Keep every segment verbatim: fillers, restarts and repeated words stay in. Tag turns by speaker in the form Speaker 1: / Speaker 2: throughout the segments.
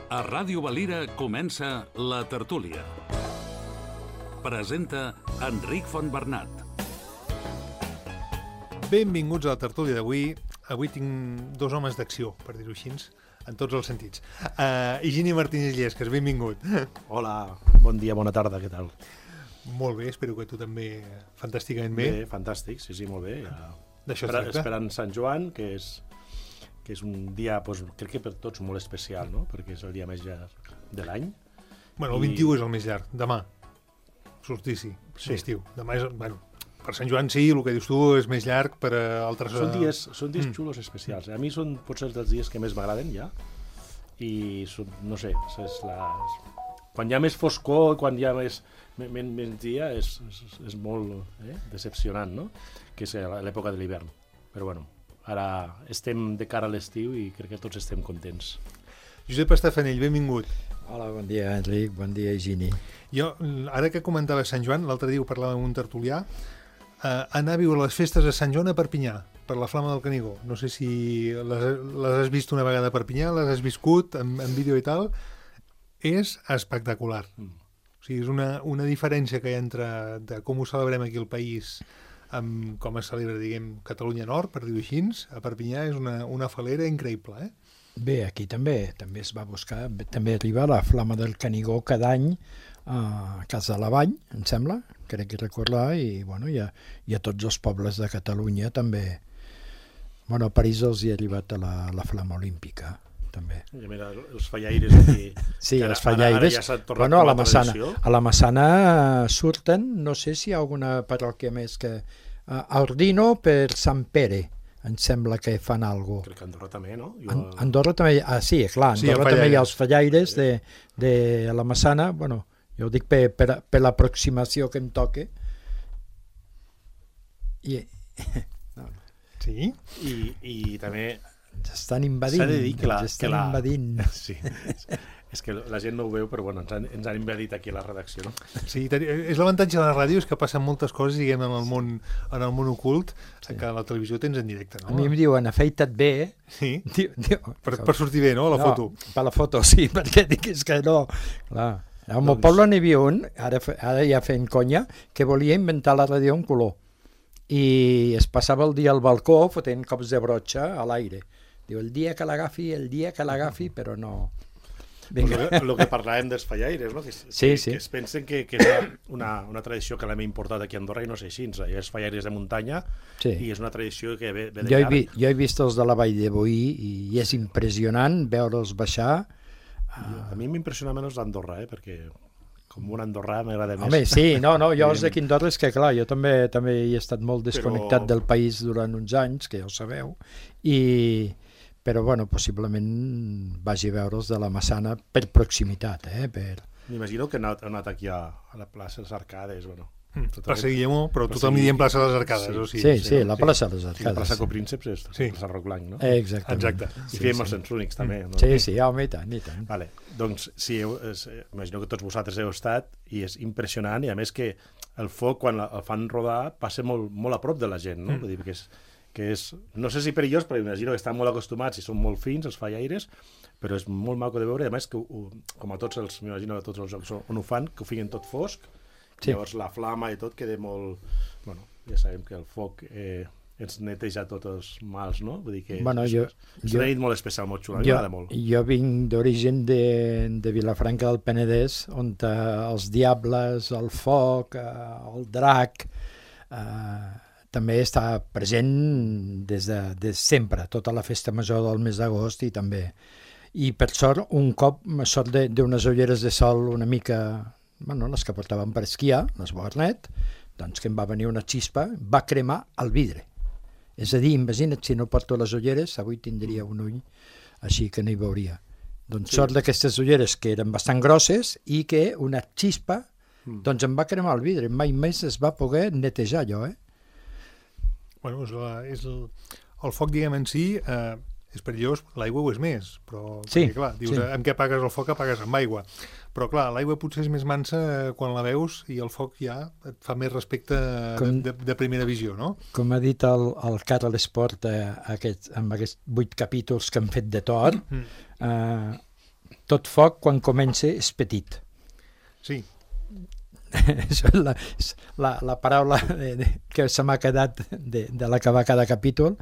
Speaker 1: A Ràdio Valira comença La Tertúlia. Presenta Enric Fontbernat.
Speaker 2: Benvinguts a La Tertúlia d'avui. Avui tinc dos homes d'acció, per dir-ho així, en tots els sentits. Uh, Higini Martínez Llesques, benvingut.
Speaker 3: Hola, bon dia, bona tarda, què tal?
Speaker 2: Molt bé, espero que tu també fantàsticament bé.
Speaker 3: Bé, fantàstic, sí, sí, molt bé. Ja.
Speaker 2: D'això es
Speaker 3: Espera,
Speaker 2: tracta.
Speaker 3: esperant Sant Joan, que és, que és un dia, doncs, crec que per tots molt especial, no? Perquè és el dia més llarg de l'any.
Speaker 2: Bueno, el
Speaker 3: I-
Speaker 2: vint-i-u és el més llarg, demà. Solstici,
Speaker 3: Sí.
Speaker 2: estiu. Demà és, bueno, per Sant Joan sí, el que dius tu és més llarg, per a altres...
Speaker 3: Són dies, són dies
Speaker 2: Mm.
Speaker 3: xulos especials. A mi són potser dels dies que més m'agraden ja. I són, no sé, és la... quan hi ha més foscor, quan hi ha més, més, més dia, és, és, és molt eh, decepcionant, no? Que és l'època de l'hivern. Però bueno, ara estem de cara a l'estiu i crec que tots estem contents.
Speaker 2: Josep Estafanell, benvingut.
Speaker 4: Hola, bon dia, Enric, bon dia, Higini.
Speaker 2: Jo, ara que comentava Sant Joan, l'altre dia ho parlàvem amb un tertulià, eh, anar a viure les festes de Sant Joan a Perpinyà, per la Flama del Canigó. No sé si les, les has vist una vegada a Perpinyà, les has viscut en, en vídeo i tal. És espectacular.
Speaker 3: Mm.
Speaker 2: O sigui, és una, una diferència que hi ha entre de com ho celebrem aquí al país amb com es celebra, diguem, Catalunya Nord, per dir-ho així. A Perpinyà és una, una falera increïble, eh?
Speaker 4: Bé, aquí també també es va buscar, també arriba la Flama del Canigó cada any a Casa de la Vall, em sembla, crec que recordar, i, bueno, i a, i a tots els pobles de Catalunya també. Bueno, a París els hi ha arribat a la, la Flama Olímpica, també.
Speaker 3: I mira, els fallaires aquí...
Speaker 4: Sí,
Speaker 3: que ara-
Speaker 4: els fallaires.
Speaker 3: Ara, ara ja s'ha tornat
Speaker 4: Bueno, a
Speaker 3: com
Speaker 4: la Massana,
Speaker 3: tradició.
Speaker 4: a la Massana surten, no sé si hi ha alguna parròquia més que... A Ordino per Sant Pere, em sembla que fan alguna cosa.
Speaker 3: Crec que Andorra també, no? Jo...
Speaker 4: An Andorra també, ah, sí, clar,
Speaker 2: Sí,
Speaker 4: Andorra
Speaker 2: el
Speaker 4: també hi ha
Speaker 2: fallaires.
Speaker 4: els fallaires de, de la Massana, bueno, jo ho dic per, per, per l'aproximació que em toque. I
Speaker 2: Sí?
Speaker 3: I, i també
Speaker 4: ens estan invadint,
Speaker 3: s'ha de dir que la...
Speaker 4: ens estan
Speaker 3: que la...
Speaker 4: invadint.
Speaker 3: Sí, és que la gent no ho veu, però bueno, ens han, ens han invadit aquí a la redacció, no?
Speaker 2: Sí, ten- és l'avantatge de la ràdio, és que passen moltes coses, diguem, en el món, en el món ocult, sí. Que a la televisió tens en directe,
Speaker 4: A
Speaker 2: no?
Speaker 4: mi em diuen, afeita't bé,
Speaker 2: Sí,
Speaker 4: diu, diu,
Speaker 2: per, per sortir bé, no?, a la
Speaker 4: no,
Speaker 2: foto.
Speaker 4: Per la foto, sí, perquè dic, és que no, clar. Al meu
Speaker 3: Doncs-
Speaker 4: poble n'hi havia un, ara, fe- ara ja fent conya, que volia inventar la ràdio en color. I es passava el dia al balcó fotent cops de brotxa a l'aire. Diu, el dia que l'agafi, el dia que l'agafi, però no... Vinga.
Speaker 3: El que parlàvem dels fallaires, no? Que, es-
Speaker 4: Sí,
Speaker 3: que,
Speaker 4: sí.
Speaker 3: que es pensen que, que és una, una tradició que l'hem importat aquí a Andorra i no sé així. És fallaires de muntanya
Speaker 4: Sí.
Speaker 3: i és una tradició que ve, ve de
Speaker 4: Jo he,
Speaker 3: llarg.
Speaker 4: vi, jo he vist els de la Vall de Boí i, i és impressionant veure'ls baixar.
Speaker 3: A mi m'impressiona menys l'Andorra, eh? Perquè com un andorrà m'agrada més.
Speaker 4: Home, sí, no, no, jo els de
Speaker 3: Evidentment.
Speaker 4: Quindorra és que, clar, jo també també he estat molt desconnectat
Speaker 3: Però-
Speaker 4: del país durant uns anys, que ja ho sabeu, i... però, bueno, possiblement vagi a veure'ls de la Massana per proximitat, eh, per...
Speaker 3: M'imagino que ha anat, ha anat aquí a, a la plaça dels Arcades, bueno.
Speaker 2: Mm,
Speaker 3: tot
Speaker 2: Plaça
Speaker 3: aquest-
Speaker 2: Guillemó, però
Speaker 3: Plaça
Speaker 2: tothom li diem
Speaker 3: Guillemó.
Speaker 2: plaça de les Arcades,
Speaker 3: Sí,
Speaker 2: o sigui.
Speaker 4: Sí, sí,
Speaker 2: no?
Speaker 4: la plaça de les
Speaker 3: Sí, la
Speaker 4: Arcades.
Speaker 3: plaça
Speaker 4: Sí.
Speaker 3: Coprínceps és
Speaker 2: Sí.
Speaker 3: la plaça Roc Blanc, no?
Speaker 4: Eh, exactament.
Speaker 2: Exacte.
Speaker 3: I
Speaker 4: Sí,
Speaker 3: fèiem
Speaker 4: sí.
Speaker 3: els Cents Únics, també. No?
Speaker 4: Sí, sí, home, i tant, i tant.
Speaker 3: Vale. Doncs sí, heu, és, imagino que tots vosaltres heu estat i és impressionant i a més que el foc quan el fan rodar passa molt, molt a prop de la gent, no?
Speaker 2: Mm.
Speaker 3: Vull dir que és, que és, no sé si perillós, però imagino que estan molt acostumats i són molt fins els fallaires, però és molt maco de veure, i a més que ho, com a tots els, m'imagino que tots els jocs on ho fan, que ho fiquen tot fosc,
Speaker 4: Sí.
Speaker 3: llavors la flama i tot queda molt... Bueno, ja sabem que el foc eh, ens neteja tots els mals, no? Vull dir que
Speaker 4: Bueno,
Speaker 3: és,
Speaker 4: jo-
Speaker 3: és
Speaker 4: jo-
Speaker 3: una nit molt especial, molt xula, a mi
Speaker 4: Jo,
Speaker 3: m'agrada molt.
Speaker 4: jo vinc d'origen de, de Vilafranca del Penedès, on eh, els diables, el foc, eh, el drac, eh, també està present des de, des de sempre, tota la festa major del mes d'agost i també. I per sort, un cop, sort de- d'unes ulleres de sol una mica, bueno, les que portàvem per esquiar, les Barnet, doncs que em va venir una xispa, va cremar el vidre. És a dir, imagina't, si no porto les ulleres, avui tindria un ull així que no hi veuria. Doncs
Speaker 3: Sí.
Speaker 4: sort d'aquestes ulleres que eren bastant grosses i que una xispa
Speaker 3: Mm.
Speaker 4: doncs em va cremar el vidre. Mai més es va poder netejar allò, eh?
Speaker 2: Bueno, és, la, és el, el foc, diguem, en si, eh, és perillós, l'aigua ho és més, però,
Speaker 4: Sí,
Speaker 2: perquè, clar, dius,
Speaker 4: sí.
Speaker 2: amb què apagues el foc, apagues amb aigua. Però, clar, l'aigua potser és més mansa quan la veus i el foc ja et fa més respecte
Speaker 4: Com-
Speaker 2: de, de, de primera visió, no?
Speaker 4: Com ha dit el, el Carles Esport eh, aquest, amb aquests vuit capítols que han fet de Thor,
Speaker 2: Mm.
Speaker 4: eh, tot foc quan comença és petit.
Speaker 2: Sí.
Speaker 4: Això és la, és la, la paraula de, de, que se m'ha quedat de, de l'acabar cada capítol.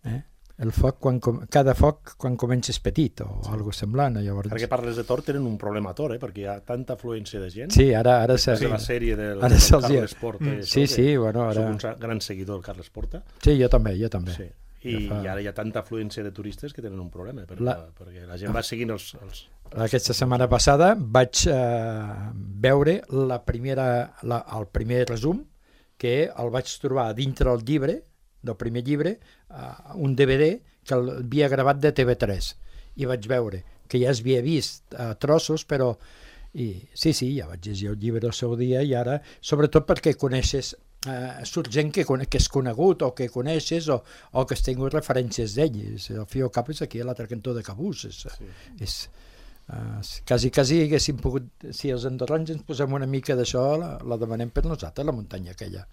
Speaker 4: Eh? El foc, quan, cada foc quan comença és petit, o sí. Algo semblant. Llavors...
Speaker 3: Ara que parles de Tor, tenen un problema a Tor, eh? Perquè hi ha tanta afluència de gent.
Speaker 4: Sí, ara... ara
Speaker 3: sí.
Speaker 4: sí.
Speaker 3: La sèrie del,
Speaker 4: ara
Speaker 3: del Carles Porta.
Speaker 4: Mm. Sí, sí, bueno, ara...
Speaker 3: Soc un gran seguidor del Carles Porta.
Speaker 4: Sí, jo també, jo també.
Speaker 3: Sí. I, ja fa... i ara hi ha tanta afluència de turistes que tenen un problema, perquè la, perquè la gent va seguint els... els...
Speaker 4: Aquesta setmana passada vaig eh, veure la primera, la, el primer resum, que el vaig trobar dintre del llibre, del primer llibre, uh, un D V D que l'havia gravat de T V tres, i vaig veure que ja s'havia vist uh, trossos, però i, sí, sí, ja vaig llegir el llibre el seu dia, i ara, sobretot perquè coneixes, uh, surt gent que, que és conegut o que coneixes o, o que has tingut referències d'ells. El Fio Cap és aquí a l'altre cantó de Cabús. És, sí. és, uh, quasi, quasi haguéssim pogut, si els andorrans ens posem una mica d'això, la, la demanem per nosaltres, la muntanya aquella.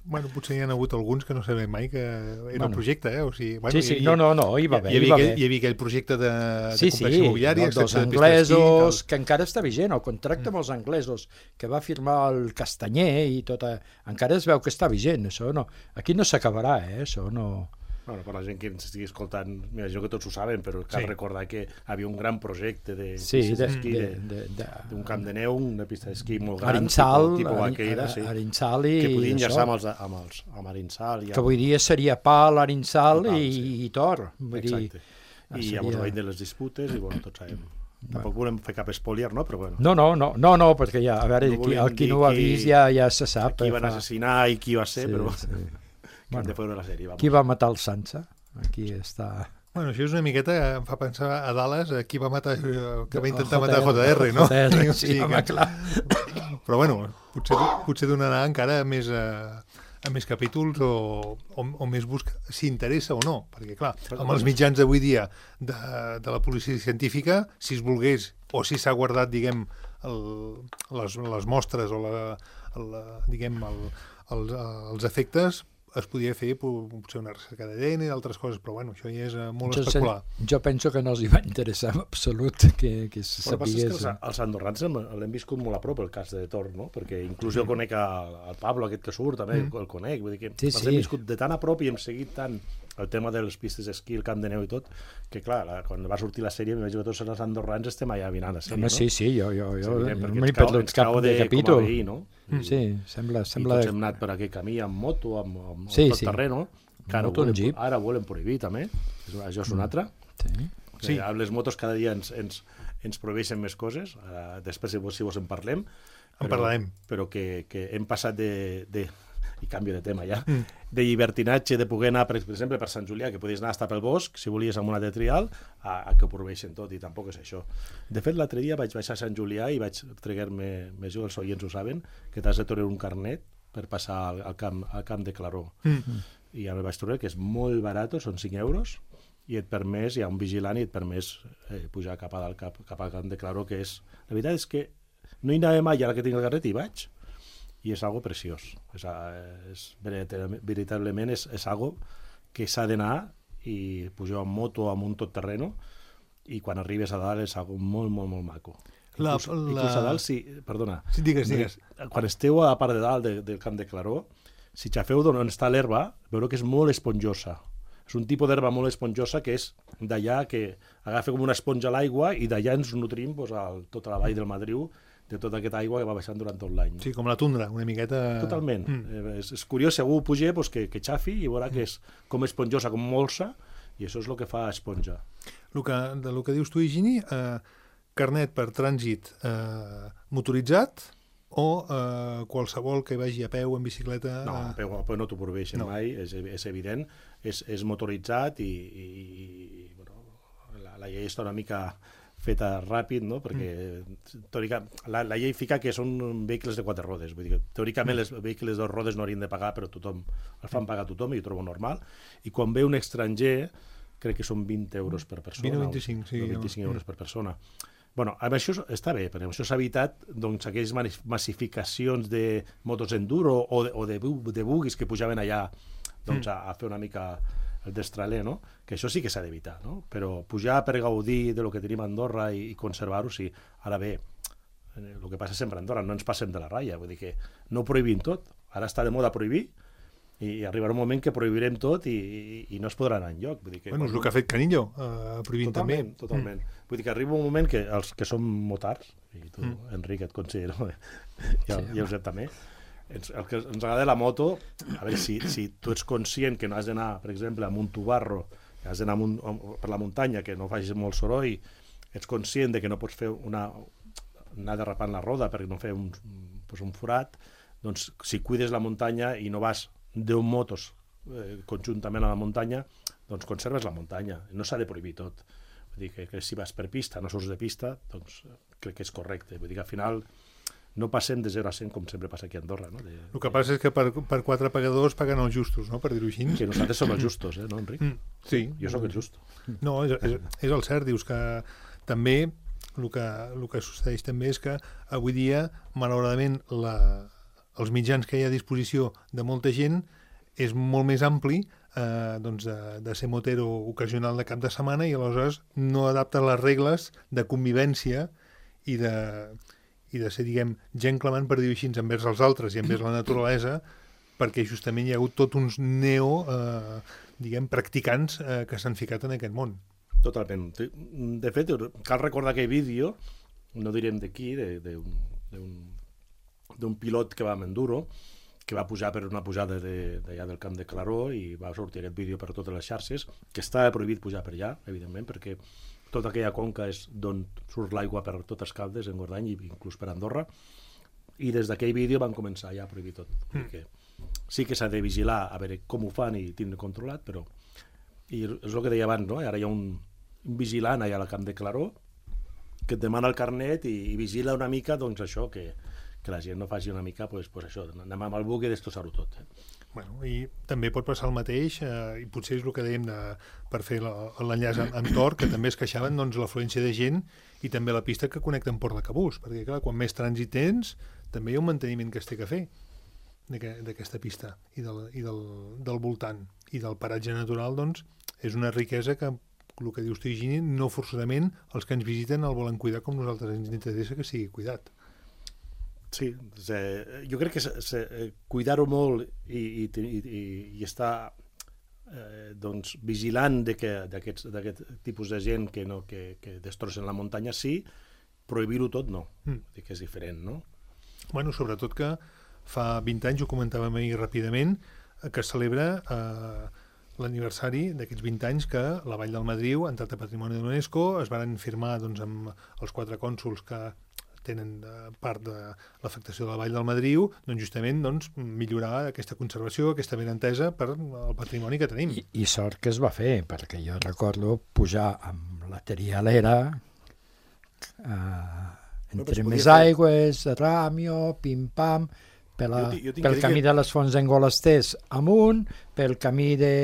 Speaker 2: Bueno, potser hi ha hagut alguns que no sabem mai que era bueno. Un projecte, eh? O sigui, bueno,
Speaker 4: sí, sí,
Speaker 2: havia,
Speaker 4: no, no, no, hi va haver.
Speaker 2: Hi havia,
Speaker 4: hi va
Speaker 2: aquell,
Speaker 4: haver.
Speaker 2: Hi havia aquell projecte de, de
Speaker 4: sí,
Speaker 2: complex
Speaker 4: sí,
Speaker 2: immobiliari.
Speaker 4: Sí, dels anglesos, que encara està vigent, el contracte amb els anglesos, que va firmar el Castanyer i tot, encara es veu que està vigent, això no. Aquí no s'acabarà, eh? Això no...
Speaker 3: Bueno, per la gent que ens estigui escoltant, m'imagino que tots ho saben, però cal sí. recordar que hi havia un gran projecte de
Speaker 4: sí,
Speaker 3: pistes d'esquí, d'un camp de neu, una pista d'esquí molt gran,
Speaker 4: Arinsal,
Speaker 3: tipus Vaqueira, sí,
Speaker 4: Arinsal i
Speaker 3: que podien enllaçar amb, els, amb, els, amb Arinsal. I amb...
Speaker 4: Que avui dia seria Pal, Arinsal i, i, sí. i Tor. Vull
Speaker 3: Exacte.
Speaker 4: Dir,
Speaker 3: I seria... llavors veient de les disputes, i bueno, tots sabem. Tampoc volem fer cap spoiler, no? Però bueno.
Speaker 4: No, no, no, no, no perquè ja, a veure, no qui, el qui no ho ha vist ja, ja se sap.
Speaker 3: Qui van fa... assassinar i qui va ser, sí, però... Sí.
Speaker 4: Bueno,
Speaker 3: de la sèrie,
Speaker 4: qui va matar el Sansa? Aquí està...
Speaker 2: Bueno, això és una miqueta, em fa pensar a Dallas, qui va matar, que va intentar matar J R, no?
Speaker 4: J R, sí, sí, home, clar.
Speaker 2: Però bueno, potser, potser donarà encara més, a, a més capítols o, o, o més busca, si interessa o no, perquè clar, amb els mitjans d'avui dia de, de la policia científica, si es volgués, o si s'ha guardat, diguem, el, les, les mostres o la, el, diguem, el, els, els efectes, es podia fer potser una recerca d'A D N i d'altres coses, però bueno, això ja és molt
Speaker 4: jo
Speaker 2: especular.
Speaker 4: Sé, jo penso que no els hi va interessar en absolut que, que se
Speaker 3: bueno,
Speaker 4: sapigués.
Speaker 3: És que els, els andorrans l'hem viscut molt a prop, el cas de Tor, no? Perquè inclús jo mm. conec el Pablo, aquest que surt, també mm. el conec, vull dir que
Speaker 4: sí,
Speaker 3: els
Speaker 4: sí.
Speaker 3: hem viscut de tan a prop i hem seguit tant el tema de les pistes d'esquí, el camp de neu i tot, que clar, la, quan va sortir la sèrie, m'imagino que tots els andorrans estem allà mirant la sèrie,
Speaker 4: Home,
Speaker 3: no?
Speaker 4: Sí, sí, jo, jo, jo
Speaker 3: sí,
Speaker 4: no m'he perdut cap de, de capítol.
Speaker 3: Veí, no?
Speaker 4: Mm. Sí, sembla... sembla...
Speaker 3: I tots hem anat per aquell camí amb moto, amb, amb
Speaker 4: sí,
Speaker 3: tot
Speaker 4: sí.
Speaker 3: terreno, que ara,
Speaker 4: moto,
Speaker 3: volen, ara volen prohibir també, això és un altre.
Speaker 4: Sí.
Speaker 2: Sí.
Speaker 3: Amb les motos cada dia ens, ens, ens prohibeixen més coses, uh, després si vos, si vos en parlem,
Speaker 2: en però, parlarem.
Speaker 3: Però que, que hem passat de... de i canvio de tema ja, mm. de llibertinatge, de poder anar, per exemple, per Sant Julià, que podies anar a estar pel bosc, si volies amb una de trial, a, a que ho prohibeixen tot, i tampoc és això. De fet, l'altre dia vaig baixar a Sant Julià i vaig tregar-me, més jo, els oients ho saben, que t'has de treure un carnet per passar al, al, camp, al camp de Claró. Mm. I ja me vaig trobar que és molt barat, són cinc euros, i et permès, hi ha un vigilant i et permès eh, pujar cap, a dalt, cap, cap al camp de Claró, que és... La veritat és que no hi anava mai, ara que tinc el carnet, hi vaig, i és algo preciós. És, és, veritablement és, és algo que s'ha d'anar i pujar en moto amb un tot terreno i quan arribes a dalt és algo molt, molt, molt maco. La, inclús, la... inclús a dalt, si... Perdona.
Speaker 2: Sí, digues, digues.
Speaker 3: Quan esteu a la part de dalt de, del camp de Claró, si xafeu d'on està l'herba, veureu que és molt esponjosa. És un tipus d'herba molt esponjosa que és d'allà que agafa com una esponja a l'aigua i d'allà ens nutrim pues, al, tota la vall del Madriu de tota aquesta aigua que va baixant durant tot l'any.
Speaker 2: Sí, com la tundra, una miqueta...
Speaker 3: Totalment. Mm. És, és curiós, si algú puja, pues, que, que xafi i veurà que és com esponjosa, com molsa, i això és el que fa esponja.
Speaker 2: El que, de lo que dius tu, Higini, eh, carnet per trànsit eh, motoritzat o eh, qualsevol que vagi a peu, en bicicleta...
Speaker 3: No, a peu, a peu no t'ho prohibeixen no. mai, és, és evident, és, és motoritzat i, i, i bueno, la, la llei està una mica... feta ràpid, no? Perquè mm. teòrica, la, la llei fica que són vehicles de quatre rodes, vull dir que teòricament els vehicles de dos rodes no haurien de pagar, però tothom, el fan pagar a tothom i ho trobo normal, i quan ve un estranger crec que són vint euros per persona,
Speaker 2: vint o vint-i-cinc, sí,
Speaker 3: o vint-i-cinc euros per persona. Bueno, amb això està bé, perquè amb això s'ha evitat doncs, aquelles massificacions de motos enduro o de, o de, de buguis que pujaven allà doncs, mm. a, a fer una mica el destraler, no? Que això sí que s'ha d'evitar, no? Però pujar per gaudir de lo que tenim a Andorra i, i conservar-ho, sí. Ara bé, el que passa sempre a Andorra, no ens passem de la ratlla, vull dir que no ho prohibim tot. Ara està de moda prohibir, i arribarà un moment que prohibirem tot i, i, i no es podrà anar enlloc. Vull dir que
Speaker 2: bueno, és el que ha fet Canillo, uh, prohibint
Speaker 3: totalment,
Speaker 2: també.
Speaker 3: Totalment, mm. Vull dir que arriba un moment que els que som motards, i tu, mm. Enric, et considero, i el, sí, i el Josep també, ens, el que ens agrada la moto, a veure, si, si tu ets conscient que no has d'anar, per exemple, amb un tubarro, que has d'anar per la muntanya, que no facis molt soroll, ets conscient de que no pots fer una... anar derrapant la roda perquè no fer un, pues un forat, doncs si cuides la muntanya i no vas deu motos eh, conjuntament a la muntanya, doncs conserves la muntanya. No s'ha de prohibir tot. Vull dir que, que si vas per pista, no surts de pista, doncs crec que és correcte. Vull dir que al final no passem de zero a cent com sempre passa aquí a Andorra. No? De,
Speaker 2: el que passa és que per, per quatre pagadors paguen els justos, no? Per dir-ho així.
Speaker 3: Que nosaltres som els justos, eh? No, Enric?
Speaker 2: Mm, sí.
Speaker 3: Jo sóc el justo.
Speaker 2: No, és, és, és el cert. Dius que també el que, el que succeeix també és que avui dia, malauradament, la, els mitjans que hi ha a disposició de molta gent és molt més ampli eh, doncs de, de ser motero ocasional de cap de setmana i aleshores no adapta les regles de convivència i de, i de ser, diguem, gent clamant, per dir-ho així, envers els altres i envers la naturalesa, perquè justament hi ha hagut tot uns neo, eh, diguem, practicants eh, que s'han ficat en aquest món.
Speaker 3: Totalment. De fet, cal recordar aquell vídeo, no direm d'aquí, d'un pilot que va amb enduro, que va pujar per una pujada d'allà del camp de Claró i va sortir aquest vídeo per totes les xarxes, que està prohibit pujar per allà, evidentment, perquè tota aquella conca és d'on surt l'aigua per totes Caldes, en Gordany i inclús per Andorra, i des d'aquell vídeo van començar ja a prohibir tot. Mm. Que sí que s'ha de vigilar a veure com ho fan i tindre controlat, però i és el que deia abans, no? Ara hi ha un, un vigilant allà al camp de Claró que et demana el carnet i, i vigila una mica, doncs això, que, que la gent no faci una mica, pues, pues això, anem amb el buc i destrossar-ho tot. Eh?
Speaker 2: Bueno, i també pot passar el mateix, eh, i potser és el que dèiem de, per fer l'enllaç amb, amb Tor, que també es queixaven doncs, l'afluència de gent i també la pista que connecta amb Port de Cabús, perquè clar, quan més trànsit tens, també hi ha un manteniment que es té que fer d'aquesta pista i, del, i del, del voltant. I del paratge natural, doncs, és una riquesa que, el que dius tu, Higini, no forçosament els que ens visiten el volen cuidar com nosaltres ens interessa que sigui cuidat.
Speaker 3: Sí, jo crec que cuidar-ho molt i, i, i, i estar eh, doncs, vigilant d'aquest tipus de gent que, no, que, que destrossen la muntanya, sí, prohibir-ho tot no, mm. que és diferent, no?
Speaker 2: Bueno, sobretot que fa vint anys, ho comentàvem ahir ràpidament, que es celebra eh, l'aniversari d'aquests vint anys que la Vall del Madriu ha entrat a Patrimoni de l'UNESCO, es van firmar doncs, amb els quatre cònsols que tenen part de l'afectació de la Vall del Madriu, doncs justament doncs, millorar aquesta conservació, aquesta benentesa per el patrimoni que tenim.
Speaker 4: I, I sort que es va fer, perquè jo recordo pujar amb la trialera eh, entre més aigües, ràmio, pim-pam, per la, jo, jo pel camí que... de les Fonts d'Engolasters amunt, pel camí de,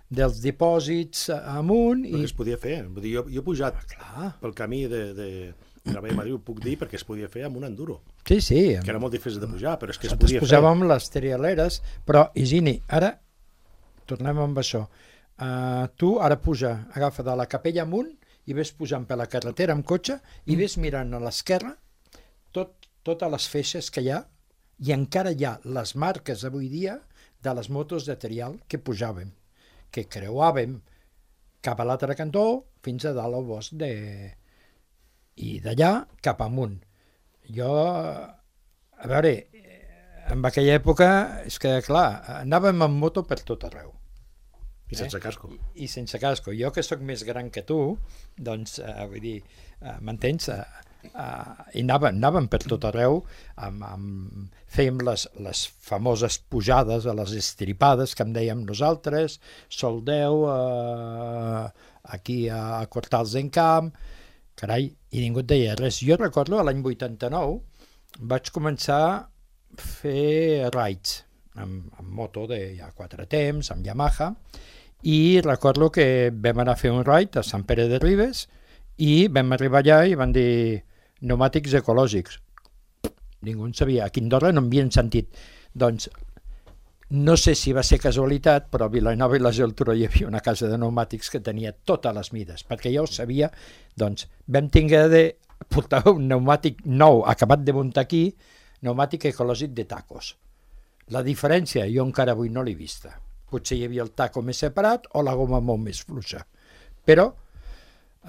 Speaker 4: dels dipòsits amunt...
Speaker 3: Però i... que es podia fer. Jo, jo he pujat ah, pel camí de... de... la Vall de Madriu, puc dir, perquè es podia fer amb un enduro.
Speaker 4: Sí, sí.
Speaker 3: Que era molt difícil de pujar, però és que es
Speaker 4: podia
Speaker 3: fer.
Speaker 4: Posàvem les trialeres, però, Higini, ara, tornem amb això. Uh, tu ara puja, agafa de la capella amunt i ves pujant per la carretera amb cotxe i ves mirant a l'esquerra tot, totes les feixes que hi ha i encara hi ha les marques avui dia de les motos de trial que pujàvem, que creuàvem cap a l'altre cantó fins a dalt al bosc de... i d'allà cap amunt. Jo, a veure, en aquella època, és que, clar, anàvem amb moto per tot arreu.
Speaker 3: I sense eh? casco.
Speaker 4: I, I sense casco. Jo, que sóc més gran que tu, doncs, eh, vull dir, eh, m'entens? Eh, eh, i anàvem, anàvem per tot arreu, amb, amb, fèiem les, les famoses pujades a les estripades que en dèiem nosaltres, Soldeu, eh, aquí a Cortals d'Encamp, carai, i ningú et deia res. Jo recordo, l'any vuitanta-nou, vaig començar a fer rides amb, amb moto de ja quatre temps, amb Yamaha, i recordo que vam anar a fer un ride a Sant Pere de Ribes i vam arribar allà i van dir pneumàtics ecològics. Ningú en sabia. Aquí a Andorra no havien sentit. Doncs no sé si va ser casualitat, però a Vilanova i la Geltrú hi havia una casa de pneumàtics que tenia totes les mides, perquè ja ho sabia, doncs vam tinguer de portar un pneumàtic nou acabat de muntar aquí, pneumàtic ecològic de tacos. La diferència jo encara avui no l'he vista. Potser hi havia el taco més separat o la goma molt més fluixa. Però,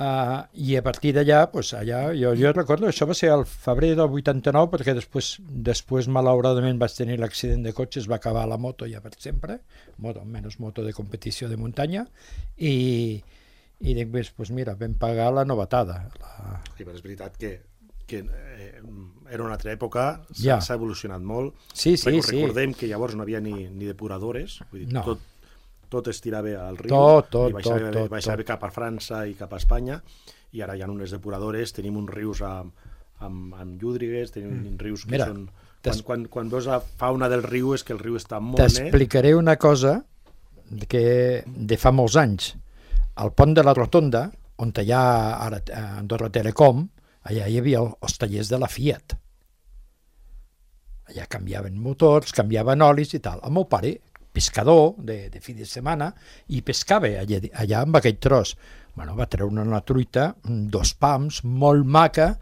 Speaker 4: uh, i a partir d'allà, pues, allà, jo, jo recordo, això va ser al febrer del vuitanta-nou, perquè després, després malauradament vaig tenir l'accident de cotxe, es va acabar la moto ja per sempre, moto, menys moto de competició de muntanya, i, i després, pues mira, vam pagar la novetada. La...
Speaker 3: Sí, però és veritat que que eh, era una altra època, s'ha
Speaker 4: Ja.
Speaker 3: evolucionat molt.
Speaker 4: Sí, sí,
Speaker 3: Record-
Speaker 4: sí.
Speaker 3: Recordem que llavors no havia ni, ni depuradores, vull dir,
Speaker 4: No.
Speaker 3: tot, tot es tirava al riu,
Speaker 4: Tot, tot,
Speaker 3: i baixava,
Speaker 4: tot, tot,
Speaker 3: baixava
Speaker 4: tot.
Speaker 3: cap a França i cap a Espanya, i ara hi ha unes depuradores, tenim uns rius amb, amb, amb llúdrigues, tenim mm. rius que
Speaker 4: Mira,
Speaker 3: són... Quan,
Speaker 4: t'es-
Speaker 3: quan, quan veus la fauna del riu és que el riu està molt net.
Speaker 4: T'explicaré una cosa que de fa molts anys. Al pont de la Rotonda, on hi ha ara a Andorra Telecom, allà hi havia els tallers de la Fiat. Allà canviaven motors, canviaven olis i tal. El meu pare, pescador de, de fi de setmana, i pescava allà, allà amb aquell tros. Bueno, va treure una truita, dos pams, molt maca,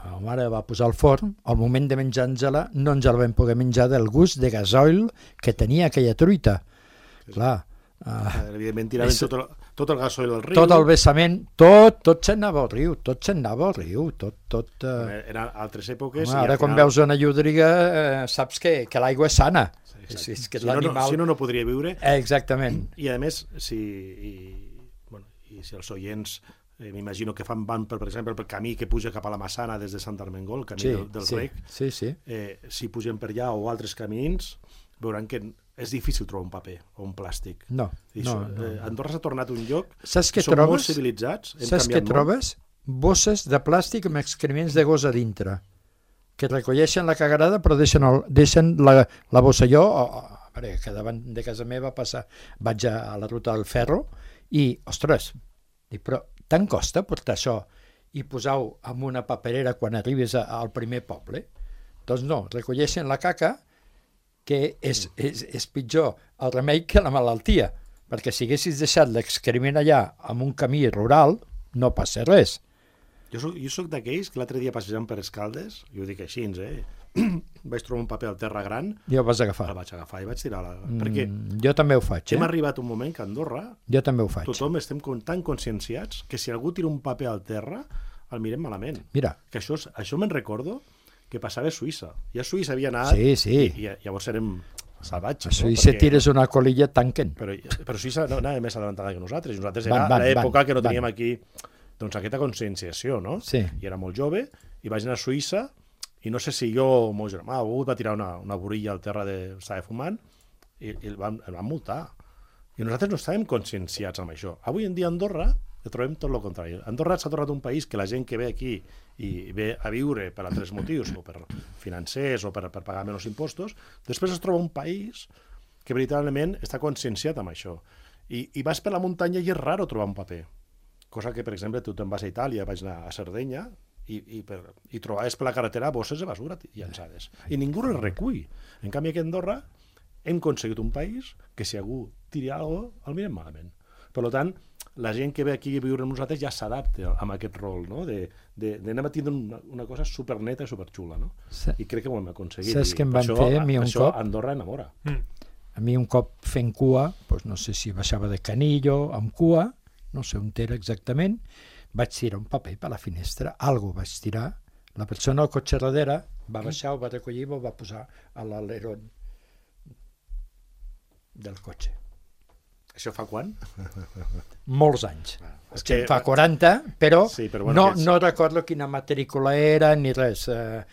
Speaker 4: la mare va posar al forn, al moment de menjar-nos-la no ens la vam poder menjar del gust de gasoil que tenia aquella truita. Clar, uh,
Speaker 3: Evidentment tiraven
Speaker 4: és-
Speaker 3: tot el, tot el gasoil al riu.
Speaker 4: tot el vessament, tot, tot se'n anava al riu, tot se'n anava al riu, tot, tot... Uh...
Speaker 3: Eren altres èpoques.
Speaker 4: Home,
Speaker 3: i al
Speaker 4: ara quan
Speaker 3: final-
Speaker 4: veus una llúdriga eh, saps que, que l'aigua és sana.
Speaker 3: Exacte.
Speaker 4: És, és que
Speaker 3: si, no, no,
Speaker 4: l'animal...
Speaker 3: si no, no podria viure.
Speaker 4: Eh, exactament.
Speaker 3: I a més, si, i, bueno, i si els oients eh, m'imagino que fan van, per, per exemple, pel camí que puja cap a la Massana des de Sant Armengol, el camí
Speaker 4: Sí,
Speaker 3: del, del
Speaker 4: sí,
Speaker 3: Rec,
Speaker 4: sí, sí.
Speaker 3: eh, si pugen per allà o altres camins, veuran que és difícil trobar un paper o un plàstic.
Speaker 4: No,
Speaker 3: I
Speaker 4: no,
Speaker 3: això,
Speaker 4: no.
Speaker 3: eh, Andorra s'ha tornat un lloc
Speaker 4: Saps
Speaker 3: que
Speaker 4: què
Speaker 3: som molt
Speaker 4: trobes?
Speaker 3: civilitzats, hem
Speaker 4: Saps què
Speaker 3: canviat molt.
Speaker 4: trobes? Bosses de plàstic amb excrements de gos a dintre, que recolleixen la cagarada però deixen, el, deixen la, la bossa. Jo, a veure, que davant de casa meva passa, vaig a, a la ruta del ferro i, ostres, dic, però tant costa portar això i posar-ho en una paperera quan arribes a, al primer poble? Doncs no, recolleixen la caca, que és, és, és pitjor el remei que la malaltia, perquè si haguessis deixat l'excrement allà amb un camí rural, no passa res.
Speaker 3: Jo soc, jo soc d'aquells que l'altre dia passejant per Escaldes, i ho dic així, eh? vaig trobar un paper al terra gran,
Speaker 4: I ho vas agafar.
Speaker 3: el vaig agafar i vaig tirar la... Mm. Perquè
Speaker 4: Mm, jo també ho faig,
Speaker 3: hem
Speaker 4: eh?
Speaker 3: arribat a un moment que a Andorra
Speaker 4: Jo també ho faig.
Speaker 3: tothom estem con- tan conscienciats que si algú tira un paper al terra el mirem malament.
Speaker 4: Mira,
Speaker 3: Que això, és- això me'n recordo que passava a Suïssa. Ja a Suïssa havia anat
Speaker 4: sí, sí.
Speaker 3: i, i llavors érem salvatges.
Speaker 4: A
Speaker 3: no?
Speaker 4: Suïssa
Speaker 3: Perquè-
Speaker 4: tires una colilla, tanquen.
Speaker 3: Però, però Suïssa no anava més adelantada que nosaltres. I nosaltres
Speaker 4: Van,
Speaker 3: era
Speaker 4: van,
Speaker 3: l'època
Speaker 4: van,
Speaker 3: que no
Speaker 4: van.
Speaker 3: teníem aquí doncs, aquesta conscienciació, no?
Speaker 4: Sí.
Speaker 3: I era molt jove, i vaig anar a Suïssa, i no sé si jo o el meu germà o algú va tirar una, una borilla al terra de... estava fumant, i, i el, van, el van multar. I nosaltres no estàvem conscienciats amb això. Avui en dia a Andorra el trobem tot el contrari. Andorra s'ha tornat un país que la gent que ve aquí i ve a viure per altres motius, o per financers, o per, per pagar menys impostos, després es troba un país que veritablement està conscienciat amb això. I, i vas per la muntanya i és raro trobar un paper. Cosa que, per exemple, tu te'n vas a Itàlia, vaig anar a Sardenya, i, i, per, i trobaves per la carretera bosses de basura llançades. I ningú les recull. En canvi, aquí a Andorra hem aconseguit un país que si algú tiri alguna cosa, el mirem malament. Per tant, la gent que ve aquí a viure amb nosaltres ja s'adapta amb aquest rol, no? de, de, de anem a tindre una, una cosa superneta i superxula. No?
Speaker 4: Sa-
Speaker 3: I crec que ho hem aconseguit.
Speaker 4: Saps
Speaker 3: I
Speaker 4: què em
Speaker 3: per
Speaker 4: van
Speaker 3: això,
Speaker 4: fer a mi un
Speaker 3: això
Speaker 4: cop?
Speaker 3: Andorra enamora.
Speaker 4: A mi un cop fent cua, doncs no sé si baixava de Canillo amb cua, no sé on era exactament, vaig tirar un paper per la finestra, algo vaig tirar, la persona al cotxe darrere va baixar, ho va recollir i ho va posar a l'alerón del cotxe.
Speaker 3: Això fa quan?
Speaker 4: Molts anys.
Speaker 3: És
Speaker 4: Que fa quaranta, però,
Speaker 3: Sí, però bueno,
Speaker 4: no,
Speaker 3: que és-
Speaker 4: no recordo quina matrícula era ni res. Eh,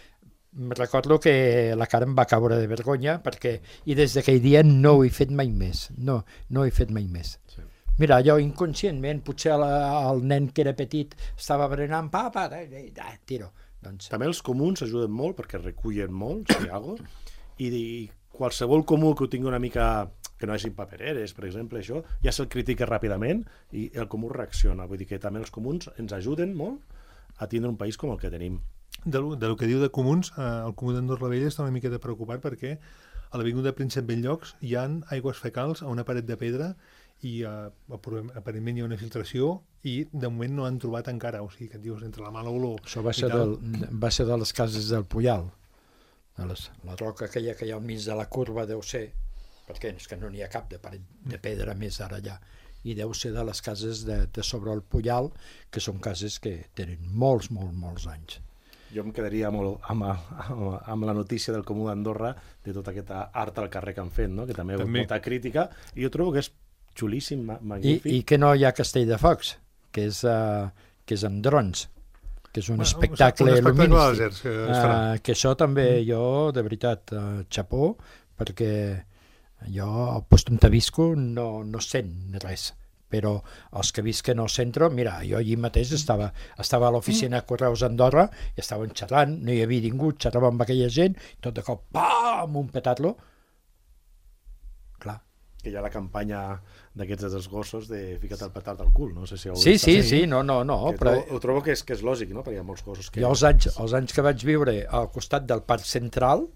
Speaker 4: recordo que la cara em va caure de vergonya perquè, i des d'aquell dia no ho he fet mai més. No, no ho he fet mai més.
Speaker 3: Sí.
Speaker 4: Mira, jo inconscientment, potser el, el nen que era petit estava berenant, papa, eh, eh, tiro. Doncs,
Speaker 3: També els comuns ajuden molt perquè recullen molt, si hi ha alguna cosa, i, i qualsevol comú que ho tingui una mica que no hagi papereres, per exemple, això, ja se'l critica ràpidament i el comú reacciona. Vull dir que també els comuns ens ajuden molt a tindre un país com el que tenim.
Speaker 2: De, lo- de lo que diu de comuns, eh, el comú d'Andorra la Vella està una miqueta preocupat perquè a l'avinguda Príncep Bellllocs hi ha aigües fecals a una paret de pedra i uh, aparentment hi ha una filtració i de moment no han trobat encara, o sigui que et dius entre la mala olor...
Speaker 4: Això va ser, del, va ser de les cases del Puyal, de les, la roca aquella que hi ha al mig de la curva deu ser, perquè és que no n'hi ha cap de paret de pedra més ara allà, i deu ser de les cases de, de sobre el Puyal, que són cases que tenen molts, molts, molts anys.
Speaker 3: Jo em quedaria molt amb, amb, amb la notícia del Comú d'Andorra de tota aquesta art al carrer que han fet, no? Que també ha hagut molta crítica, i jo trobo que és xulíssim, magnífic.
Speaker 4: I, i que no hi ha Castell de Focs, que és, uh, que és amb drons, que és un bueno, espectacle lumínistic. Que, uh, que això també mm. jo, de veritat, uh, xapó, perquè jo al lloc on visco no, no sent res, però els que visquen al centre, mira, jo allí mateix estava, estava a l'oficina de Correus Andorra i estaven xerrant, no hi havia ningú, xerrava amb aquella gent, tot de cop, pam, un petat-lo. Clar.
Speaker 3: Que hi ha la campanya d'aquests dels gossos de fica't el petard al cul, no sé si...
Speaker 4: Sí, sí, sí, no, no, no.
Speaker 3: Però... Ho, ho trobo que és, que és lògic, no? Perquè hi ha molts gossos que...
Speaker 4: Jo els anys, els anys que vaig viure al costat del Parc Central,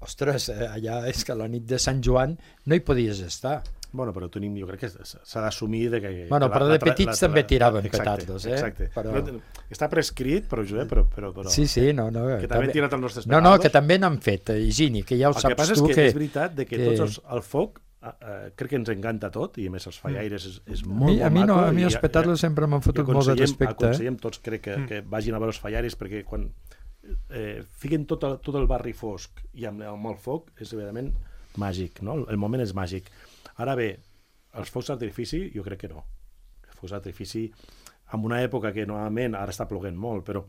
Speaker 4: ostres, allà és que la nit de Sant Joan no hi podies estar.
Speaker 3: Bueno, però tenim, jo crec que s'ha d'assumir de que...
Speaker 4: Bueno, però de petits la, també tiraven petardos, eh?
Speaker 3: Exacte,
Speaker 4: però...
Speaker 3: no, està prescrit, però, Josep, però, però, però...
Speaker 4: Sí, sí, no, no.
Speaker 3: Que també han tirat els nostres
Speaker 4: petardos. No, no, que també n'han fet, Higini, que ja ho
Speaker 3: el
Speaker 4: saps tu.
Speaker 3: El que passa és que,
Speaker 4: que
Speaker 3: és veritat de que, que... tots els, el foc Uh, uh, crec que ens encanta tot i a més els fallaires és, és molt,
Speaker 4: a mi,
Speaker 3: molt
Speaker 4: a mi no,
Speaker 3: maco.
Speaker 4: A mi els petardos sempre m'han fotut molt de respecte.
Speaker 3: Aconsellem tots, crec que, que vagin a veure els fallaires perquè quan eh, fiquen tot el, tot el barri fosc i amb, amb el foc és evidentment màgic, no? El moment és màgic. Ara bé, els focs d'artifici jo crec que no. Els focs d'artifici en una època que normalment ara està ploguent molt, però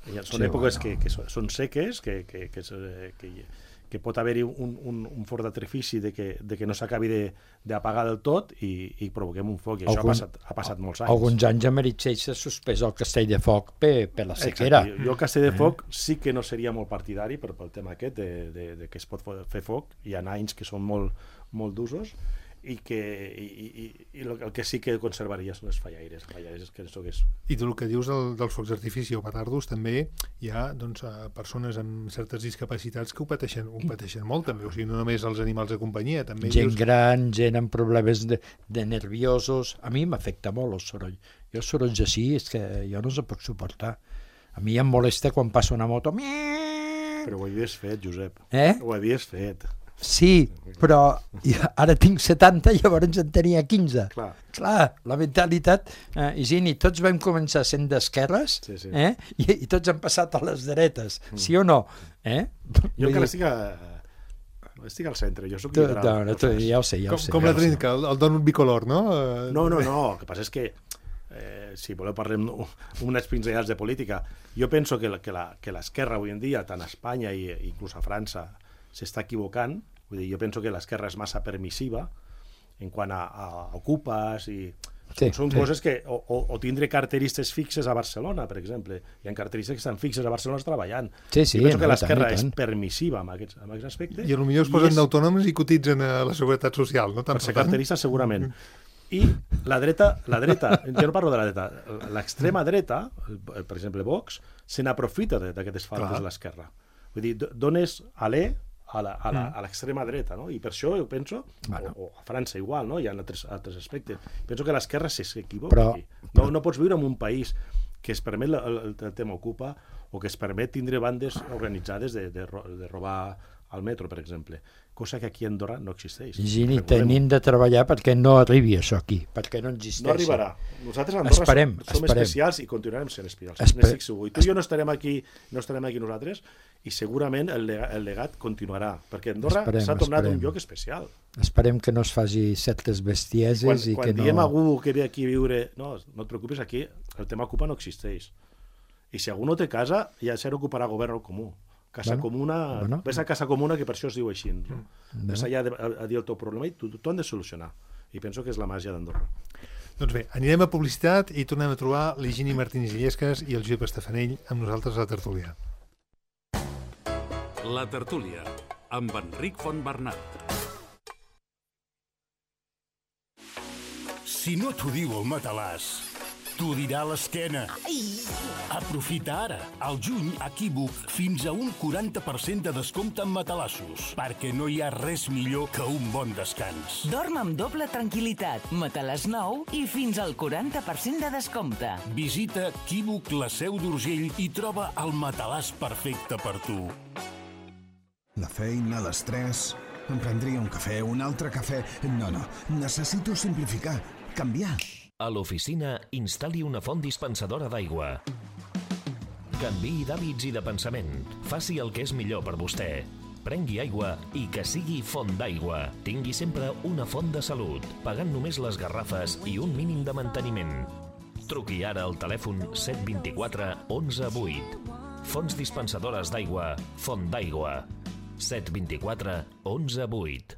Speaker 3: ja són sí, èpoques bueno. que, que són seques, que, que, que, que, que pot haver-hi un, un, un fort d'artifici de que, de que no s'acabi d'apagar del tot i, i provoquem un foc, i Algun, això ha passat, ha passat molts anys.
Speaker 4: Alguns anys a Meritxell s'ha suspès el castell de foc per, per la sequera.
Speaker 3: Exacte. Jo el castell de foc eh? sí que no seria molt partidari per, pel tema aquest de, de, de que es pot fer foc, hi ha anys que són molt, molt d'usos, i que i, i, i el que sí que conservaria són les fallaires, fallaires que és...
Speaker 2: I tu el que dius del, dels focs d'artifici o petardos, també hi ha doncs, persones amb certes discapacitats que ho pateixen, ho pateixen molt també, o sigui, no només els animals de companyia, també
Speaker 4: gent
Speaker 2: dius...
Speaker 4: gran, gent amb problemes de, de nerviosos, a mi m'afecta molt el soroll, jo els sorolls així és que jo no els puc suportar, a mi em molesta quan passa una moto.
Speaker 3: Però ho havies fet, Josep,
Speaker 4: eh?
Speaker 3: ho havies fet.
Speaker 4: Sí, però ara tinc setanta i llavors en tenia quinze.
Speaker 3: Clar,
Speaker 4: Clar la mentalitat... Eh, Higini, tots vam començar sent d'esquerres sí, sí. eh? I, i tots han passat a les dretes, mm. sí o no? Eh?
Speaker 3: Jo encara estic, a... estic al centre, jo soc liberal.
Speaker 4: No, no, tu, ja ho sé, ja ho
Speaker 2: com,
Speaker 4: sé.
Speaker 2: Com
Speaker 4: ja
Speaker 2: la trinca, el, el donut bicolor, no?
Speaker 3: No, no, no, el que passa és que eh, si voleu parlem unes pinzellades de política. Jo penso que, que, la, que l'esquerra avui en dia, tant a Espanya i inclús a França, s'està equivocant. Vull dir, jo penso que l'esquerra és massa permissiva en quant a, a ocupes i sí, són sí. coses que o, o, o tindre carteristes fixes a Barcelona, per exemple. Hi ha carteristes que estan fixes a Barcelona treballant.
Speaker 4: Sí, sí,
Speaker 3: jo penso
Speaker 4: no,
Speaker 3: que l'esquerra és
Speaker 4: tant.
Speaker 3: permissiva amb aquests, amb aquests aspectes.
Speaker 2: I potser es posen és... d'autònoms i cotitzen a la Seguretat Social, no? Tant
Speaker 3: per ser carterista, segurament. I la dreta, la dreta, jo no parlo de la dreta, l'extrema dreta, per exemple Vox, se n'aprofita d'aquestes faltes de l'esquerra. Vull dir, dones alè a l'extrema dreta, no? I per això jo penso, bueno. o, o a França igual, no? Hi ha altres, altres aspectes, penso que l'esquerra s'equivoca
Speaker 4: però,
Speaker 3: aquí. No, no pots viure en un país que es permet el, el, el tema ocupa o que es permet tindre bandes organitzades de, de, de robar al metro, per exemple, cosa que aquí a Andorra no existeix.
Speaker 4: Higini, tenim de treballar perquè no arribi això aquí, perquè no existeixi.
Speaker 3: No arribarà. Nosaltres a Andorra esperem, som, som esperem. especials i continuarem sent especials. Esper... I tu i jo no estarem aquí, no estarem aquí nosaltres i segurament el legat, el legat continuarà, perquè Andorra s'ha tornat esperem. un lloc especial.
Speaker 4: Esperem que no es faci certes bestieses
Speaker 3: quan,
Speaker 4: i
Speaker 3: quan
Speaker 4: que no...
Speaker 3: Quan diem a algú que ve aquí a viure, no, no et preocupis, aquí el tema ocupa no existeix. I si algú no té casa, ja se n'ocuparà govern o comú. Casa bueno, comuna, bueno. Ves a casa comuna, que per això es diu així. No? Bueno. Ves allà a, a dir el teu problema i tu t'ho han de solucionar. I penso que és la màgia d'Andorra.
Speaker 2: Doncs bé, anirem a publicitat i tornem a trobar l'Higini Martínez Illescas i el Josep Estefanell amb nosaltres a la tertúlia.
Speaker 1: La tertúlia, amb Enric Fontbernat.
Speaker 5: Si no t'ho diu el matalàs, T'ho dirà l'esquena. Aprofita ara, al juny, a Equívoc, fins a un quaranta per cent de descompte en matalassos, perquè no hi ha res millor que un bon descans.
Speaker 6: Dorm amb doble tranquil·litat, matalàs nou i fins al quaranta per cent de descompte.
Speaker 5: Visita Equívoc, la Seu d'Urgell, i troba el matalàs perfecte per tu.
Speaker 7: La feina, l'estrès... Em prendria un cafè, un altre cafè... No, no, necessito simplificar, canviar.
Speaker 8: A l'oficina, instal·li una font dispensadora d'aigua. Canviï d'hàbits i de pensament. Faci el que és millor per vostè. Prengui aigua i que sigui font d'aigua. Tingui sempre una font de salut, pagant només les garrafes i un mínim de manteniment. Truqui ara al telèfon set dos quatre onze vuit. Fonts dispensadores d'aigua, Font d'Aigua. set dos quatre onze vuit.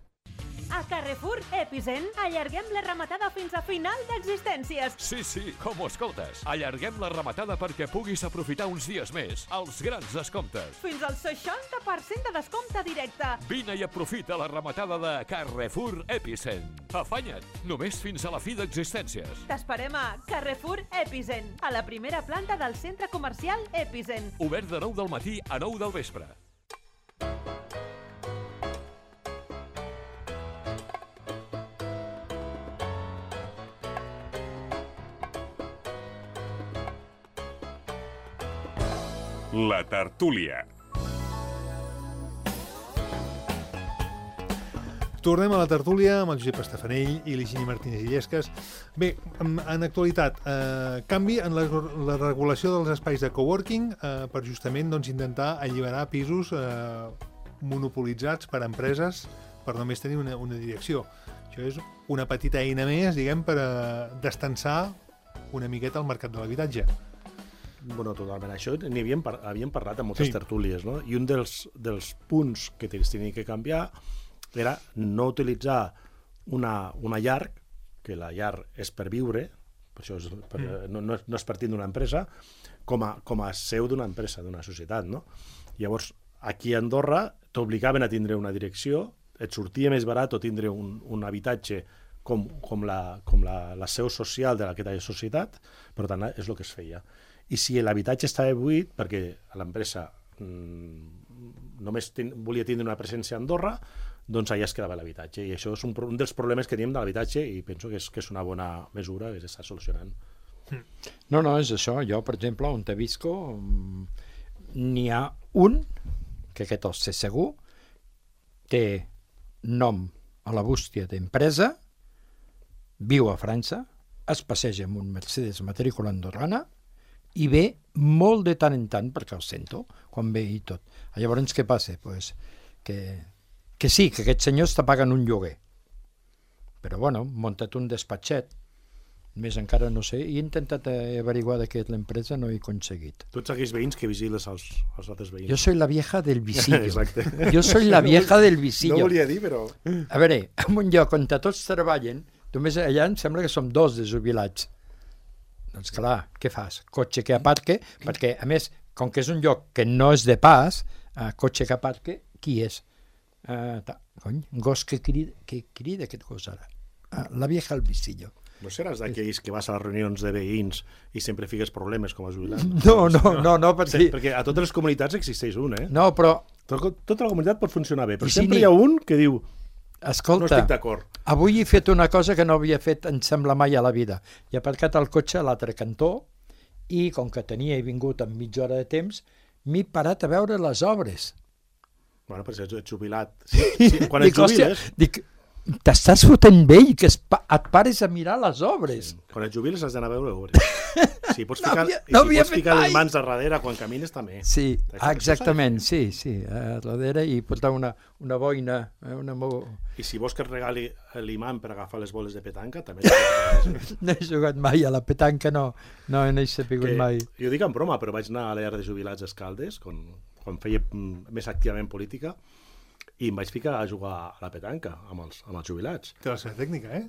Speaker 9: A Carrefour Epicent allarguem la rematada fins a final d'existències.
Speaker 1: Sí, sí, com ho escoltes. Allarguem la rematada perquè puguis aprofitar uns dies més els grans descomptes.
Speaker 9: Fins al seixanta per cent de descompte directe.
Speaker 1: Vine i aprofita la rematada de Carrefour Epicent. Afanya't, només fins a la fi d'existències.
Speaker 9: T'esperem a Carrefour Epicent, a la primera planta del centre comercial Epicent.
Speaker 1: Obert de nou del matí a nou del vespre.
Speaker 10: La tertúlia.
Speaker 2: Tornem a la tertúlia amb el Josep Estafanell i l'Higini Martínez Illescas. Bé, en, en actualitat, eh, canvi en la, la regulació dels espais de coworking eh, per justament doncs, intentar alliberar pisos eh, monopolitzats per empreses per només tenir una, una direcció. Això és una petita eina més, diguem, per eh, destensar una miqueta el mercat de l'habitatge.
Speaker 3: Bueno, totalment. Això n'hi havíem, par havíem parlat en moltes
Speaker 2: sí.
Speaker 3: tertúlies, no? I un dels, dels punts que es tenia que canviar era no utilitzar una, una llar, que la llar és per viure, per això és per, mm. no, no, no és partint d'una empresa, com a, com a seu d'una empresa, d'una societat, no? Llavors, aquí a Andorra t'obligaven a tindre una direcció, et sortia més barat o tindre un, un habitatge com, com, la, com la, la seu social d'aquesta societat, per tant, és el que es feia. I si l'habitatge estava buit, perquè l'empresa mmm, només ten, volia tindre una presència a Andorra, doncs allà es quedava l'habitatge. I això és un, un dels problemes que tenim de l'habitatge i penso que és, que és una bona mesura que s'està solucionant.
Speaker 4: No, no, és això. Jo, per exemple, on te visco, n'hi ha un, que aquest el sé segur, té nom a la bústia d'empresa, viu a França, es passeja amb un Mercedes matrícula andorrana, i ve molt de tant en tant, perquè el sento, quan ve i tot. Llavors, què passa? Pues que, que sí, que aquest senyor està pagant un lloguer. Però, bueno, muntat un despatxet, més encara no sé, i he intentat averiguar de què és l'empresa, no he aconseguit.
Speaker 3: Tots aquells veïns que vigiles els, els altres veïns.
Speaker 4: Jo soy la vieja del visillo.
Speaker 3: Exacte.
Speaker 4: Jo soy la vieja del visillo.
Speaker 3: No volia dir, però...
Speaker 4: A veure, en un lloc on tots treballen, només allà em sembla que som dos de jubilats. Doncs clar, què fas? Cotxe que aparque, perquè a més, com que és un lloc que no és de pas, uh, cotxe que aparque, qui és? Uh, ta, cony, gos que crida, que crida aquest gos ara? Uh, la vieja al visillo.
Speaker 3: No seràs d'aquells que vas a les reunions de veïns i sempre fiques problemes com a jubilat?
Speaker 4: No, no, no, no perquè...
Speaker 3: Sí, perquè a totes les comunitats existeix un, eh?
Speaker 4: No, però...
Speaker 3: Tot, tota la comunitat pot funcionar bé, però
Speaker 4: sí,
Speaker 3: sempre
Speaker 4: ni...
Speaker 3: hi ha un que diu...
Speaker 4: Escolta,
Speaker 3: no estic d'acord.
Speaker 4: Avui he fet una cosa que no havia fet, em sembla, mai a la vida. He aparcat el cotxe a l'altre cantó i, com que tenia he vingut amb mitja hora de temps, m'he parat a veure les obres.
Speaker 3: Bueno, però si ets jubilat... Sí, sí, quan et jubiles...
Speaker 4: Dic, t'estàs fotent vell que es pa et pares a mirar les obres.
Speaker 3: Sí. Quan et jubiles has d'anar a veure obres. Si pots ficar, no havia, no si pots ficar les mans a darrere quan camines també.
Speaker 4: Sí, exactament, sí, sí, a darrere i portar una, una boina. Una mo...
Speaker 3: I si vols que et regali l'imant per agafar les boles de petanca, també...
Speaker 4: No he jugat mai a la petanca, no, no n'he sapigut mai.
Speaker 3: Jo dic en broma, però vaig anar a l'E R de Jubilats a Escaldes, quan, quan feia més activament política, i em vaig ficar a jugar a la petanca amb els, amb els jubilats.
Speaker 2: Té la seva tècnica, eh?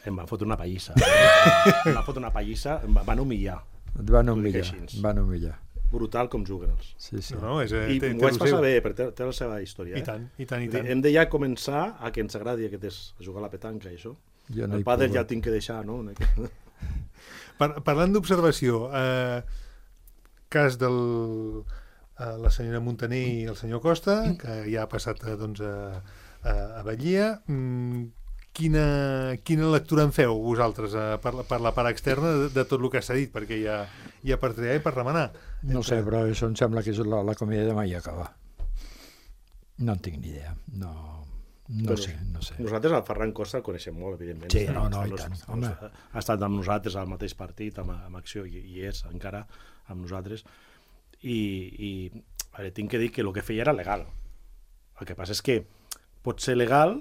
Speaker 3: Em van fotre una pallissa. Em van fotre una pallissa, em van humillar.
Speaker 4: Et van humillar, van humillar.
Speaker 3: Brutal com juguen els.
Speaker 4: Sí, sí.
Speaker 2: No, no, és,
Speaker 3: I
Speaker 2: té,
Speaker 3: m'ho
Speaker 2: té
Speaker 3: vaig passar bé, perquè té, té la seva història.
Speaker 2: I tant, i tant, i tant.
Speaker 3: Hem de ja començar a que ens agradi aquest és, a jugar a la petanca i això.
Speaker 4: Jo no
Speaker 3: el pàdel ja el tinc que deixar, no?
Speaker 2: Par parlant d'observació, eh, cas del eh, la senyora Montaner i el senyor Costa, que ja ha passat eh, doncs, a, a, a Batllia, mm, quina, quina lectura en feu vosaltres eh, per, la, per la part externa de, de tot el que s'ha dit? Perquè hi ha, hi ha per triar i per remenar.
Speaker 4: No sé, però això em sembla que és la, la comèdia de mai acaba. No en tinc ni idea, no... No
Speaker 3: Però
Speaker 4: sé, no sé.
Speaker 3: Nosaltres el Ferran Costa el coneixem molt, evidentment.
Speaker 4: Sí,
Speaker 3: Està,
Speaker 4: no, no,
Speaker 3: està,
Speaker 4: i tant,
Speaker 3: està,
Speaker 4: home.
Speaker 3: Ha estat amb nosaltres al mateix partit, amb, amb Acció, i, i és encara amb nosaltres. I, i a veure, tinc que dir que el que feia era legal. El que passa és que pot ser legal,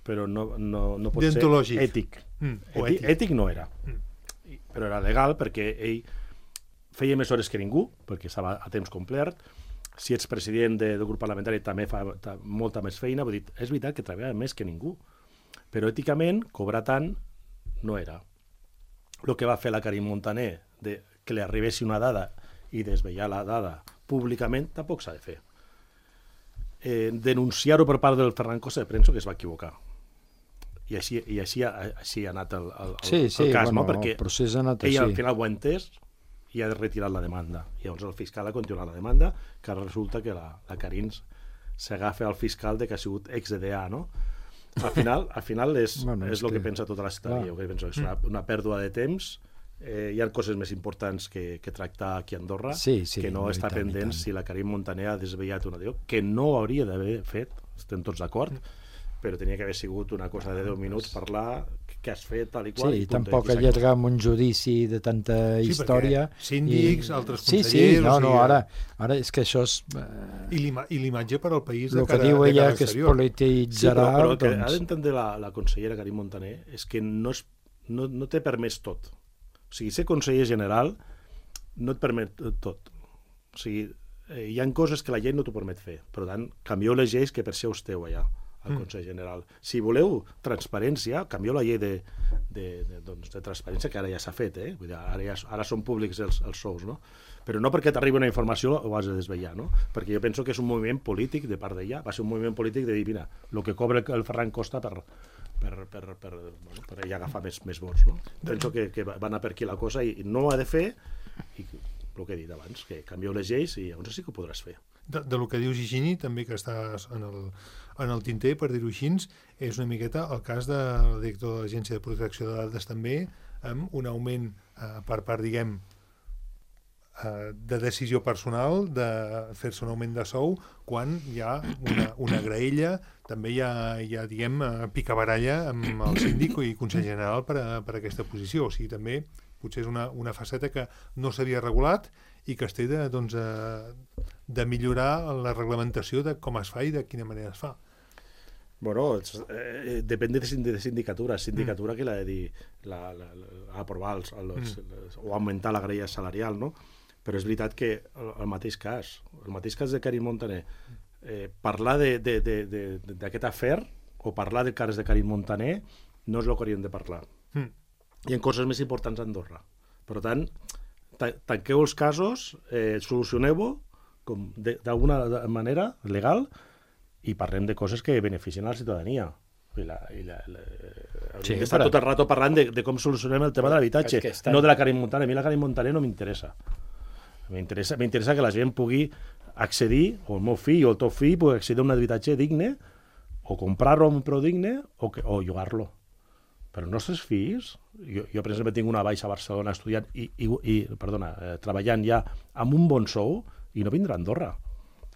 Speaker 3: però no, no, no pot ser ètic.
Speaker 2: Mm, o
Speaker 3: ètic.
Speaker 2: ètic.
Speaker 3: Ètic no era. Mm. Però era legal perquè ell feia més hores que ningú, perquè estava a temps complert. Si ets president de, del grup parlamentari també fa ta, molta més feina, vull dir, és veritat que treballa més que ningú, però èticament cobrar tant no era. El que va fer la Karim Montaner, de que li arribessi una dada i desvetllar la dada públicament, tampoc s'ha de fer. Eh, denunciar-ho per part del Ferran Costa, penso que es va equivocar. I així, i així, així ha anat el, el,
Speaker 4: sí, sí,
Speaker 3: el cas,
Speaker 4: bueno,
Speaker 3: no? Perquè
Speaker 4: el procés ha anat
Speaker 3: ell
Speaker 4: així.
Speaker 3: al final ho ha entès i ha retirat la demanda. I llavors el fiscal ha continuat la demanda, que ara resulta que la, la Carins s'agafa al fiscal de que ha sigut ex-D D A, no? Al final, al final és,
Speaker 4: bueno,
Speaker 3: és
Speaker 4: és
Speaker 3: el que,
Speaker 4: que
Speaker 3: pensa tota la ciutadania. Que penso, és una, una pèrdua de temps. Eh, hi ha coses més importants que, que tractar aquí a Andorra,
Speaker 4: sí, sí,
Speaker 3: que no
Speaker 4: no,
Speaker 3: està
Speaker 4: tant,
Speaker 3: pendent si la Karim Montaner ha desvetllat una diu, que no hauria d'haver fet, estem tots d'acord, però tenia que haver sigut una cosa de deu minuts, parlar què has fet, tal i qual.
Speaker 4: Sí,
Speaker 3: i
Speaker 4: tampoc allargar amb un judici de tanta
Speaker 2: sí,
Speaker 4: història.
Speaker 2: Síndics, i... altres consellers...
Speaker 4: Sí, sí, no,
Speaker 2: o sigui,
Speaker 4: no, ara, ara és que això és...
Speaker 2: I l'imatge per al país de
Speaker 4: el
Speaker 2: cara,
Speaker 4: que diu ella que es
Speaker 2: exterior.
Speaker 4: polititzarà...
Speaker 3: Sí, però, però el que
Speaker 4: doncs...
Speaker 3: ha d'entendre la, la consellera Karim Montaner és que no, és, no, no té permès tot. O sigui, ser conseller general no et permet tot. O sigui, eh, hi ha coses que la llei no t'ho permet fer. Per tant, canvieu les lleis que per això esteu allà al Consell General. Si voleu transparència, canvieu la llei de, de, de, doncs, de transparència, que ara ja s'ha fet, eh? Vull dir, ara, ja, ara són públics els, els sous, no? Però no perquè t'arribi una informació ho has de desvetllar, no? Perquè jo penso que és un moviment polític de part d'ella, va ser un moviment polític de dir, mira, el que cobra el Ferran Costa per, per, per, per, bueno, per ella agafar més, més vots, no? Penso que, que va anar per aquí la cosa i no ho ha de fer, i el que he dit abans, que canvieu les lleis i llavors sí que ho podràs fer.
Speaker 2: De, de lo que dius Higini, també que està en el, en el tinter, per dir-ho així, és una miqueta el cas del director de l'Agència de Protecció de Dades també, amb un augment eh, per part, diguem, eh, de decisió personal, de fer-se un augment de sou, quan hi ha una, una graella, també hi ha, hi ha diguem, picabaralla amb el síndic i Consell General per a, per a aquesta posició. O sigui, també potser és una, una faceta que no s'havia regulat i que es té de, doncs, eh, de millorar la reglamentació de com es fa i de quina manera es fa.
Speaker 3: Bueno, eh, depèn de, de sindicatura. Sindicatura mm. que l'ha de dir, la, la, la, aprovar els, els, mm. les, o augmentar la graella salarial, no? Però és veritat que el, el mateix cas, el mateix cas de Karim Montaner, eh, parlar d'aquest afer o parlar del cas de Karim Montaner no és el que hauríem de parlar. Mm. Hi ha coses més importants a Andorra. Per tant, tanqueu els casos, eh, solucioneu-ho d'alguna manera legal i parlem de coses que beneficien a la ciutadania. I la, i la, la, sí, està però... tot el rato parlant de, de com solucionem el tema de l'habitatge, estan... no de la Karim Montaner. A mi la Karim Montaner no m'interessa. M'interessa m'interessa que la gent pugui accedir, o el meu fill o el teu fill pugui accedir a un habitatge digne, o comprar-lo a un preu digne, o, que, o llogar-lo. Però els nostres fills, jo, jo per exemple tinc una baixa a Barcelona estudiant i, i, i perdona, eh, treballant ja amb un bon sou i no vindrà a Andorra.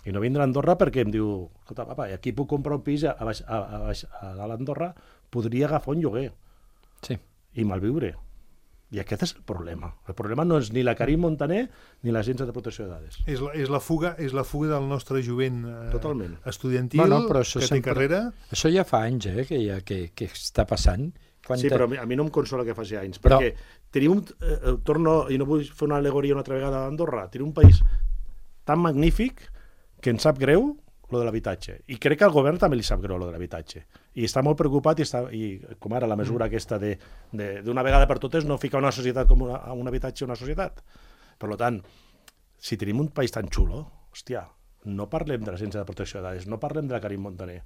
Speaker 3: I no vindrà a Andorra perquè em diu, escolta, papa, aquí puc comprar un pis a, a, a, a, a dalt d'Andorra, podria agafar un lloguer
Speaker 4: sí.
Speaker 3: i malviure. I aquest és el problema. El problema no és ni la Karim Montaner ni l'Agència de Protecció de Dades.
Speaker 2: És la, és la, fuga, és la fuga del nostre jovent eh,
Speaker 3: Totalment.
Speaker 2: estudiantil,
Speaker 4: bueno, però això
Speaker 2: que
Speaker 4: sempre...
Speaker 2: té carrera.
Speaker 4: Això ja fa anys eh, que, ja, que, que està passant.
Speaker 3: Quan sí, te... però a mi no em consola que faci anys, però... perquè tenim un, eh, torno, i no vull fer una al·legoria una altra vegada a Andorra, tenim un país tan magnífic que ens sap greu lo de l'habitatge. I crec que al govern també li sap greu lo de l'habitatge. I està molt preocupat, i, està, i com ara la mesura mm. aquesta de, de, d'una vegada per totes no ficar una societat com una, un habitatge a una societat. Per tant, si tenim un país tan xulo, hòstia, no parlem de l'Agència de Protecció de Dades, no parlem de la Karim Montaner,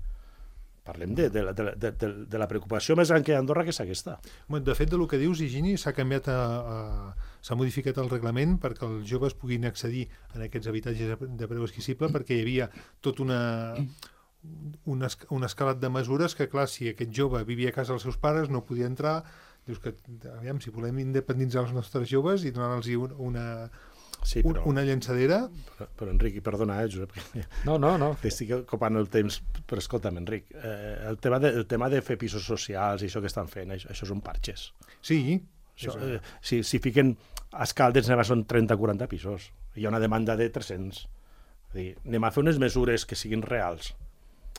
Speaker 3: Parlem de, de, de, de, de, de la preocupació més gran que hi ha a Andorra, que és aquesta.
Speaker 2: De fet, del que dius, Higini, s'ha canviat a, a, s'ha modificat el reglament perquè els joves puguin accedir a aquests habitatges de preu esquissible, perquè hi havia tot una, un, es, un escalat de mesures que, clar, si aquest jove vivia a casa dels seus pares, no podia entrar. Dius que, aviam, si volem independitzar els nostres joves i donar-los una, sí, però, una llançadera...
Speaker 3: Però, però Enric, perdona, eh, Josep,
Speaker 4: no, no, no.
Speaker 3: estic copant el temps, però escolta'm, Enric, eh, el, tema de, el tema de fer pisos socials i això que estan fent, això, això són parxes.
Speaker 2: Sí.
Speaker 3: Això, eh, si, si fiquen a Escaldes, són trenta o quaranta pisos, hi ha una demanda de tres-cents. És a dir, anem a fer unes mesures que siguin reals.